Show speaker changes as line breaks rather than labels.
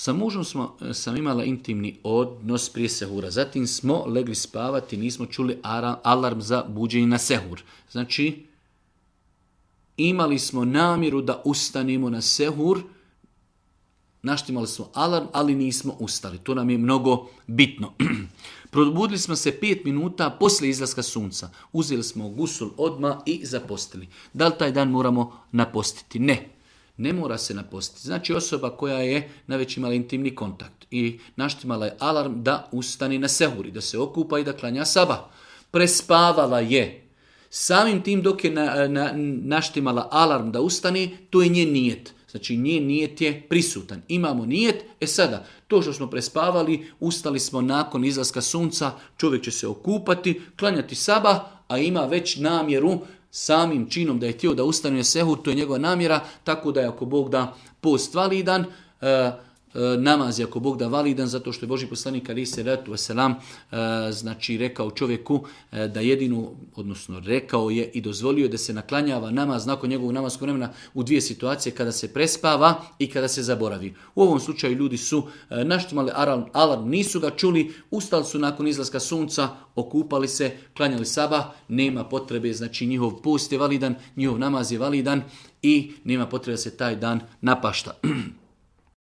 Sa mužom sam imala intimni odnos prije sehura. Zatim smo legli spavati, nismo čuli alarm za buđenje na sehur. Znači, imali smo namjeru da ustanemo na sehur, naštimali smo alarm, ali nismo ustali. To nam je mnogo bitno. Probudili smo se 5 minuta poslije izlaska sunca. Uzeli smo gusul odmah i zapostili. Da li taj dan moramo napostiti? Ne mora se napostiti. Znači osoba koja je najveć imala intimni kontakt i naštimala je alarm da ustane na sehuri, da se okupa i da klanja sabah. Prespavala je. Samim tim dok je naštimala alarm da ustane, to je njen nijet. Znači njen nijet je prisutan. Imamo nijet, sada to što smo prespavali, ustali smo nakon izlaska sunca, čovjek će se okupati, klanjati sabah, a ima već namjeru samim činom da je htio da ustane na sehur, to je njegova namjera, tako da je ako Bog da post validan, namaz je ako Bog da validan, zato što je Božji poslanik alejhi selatu vesselam znači rekao čovjeku da jedinu, odnosno rekao je i dozvolio da se naklanjava namaz nakon njegovog namaskog vremena u 2 situacije, kada se prespava i kada se zaboravi. U ovom slučaju ljudi su naštimali alarm, nisu ga čuli, ustali su nakon izlaska sunca, okupali se, klanjali sabah, nema potrebe, znači njihov post je validan, njihov namaz je validan i nema potrebe da se taj dan napašta.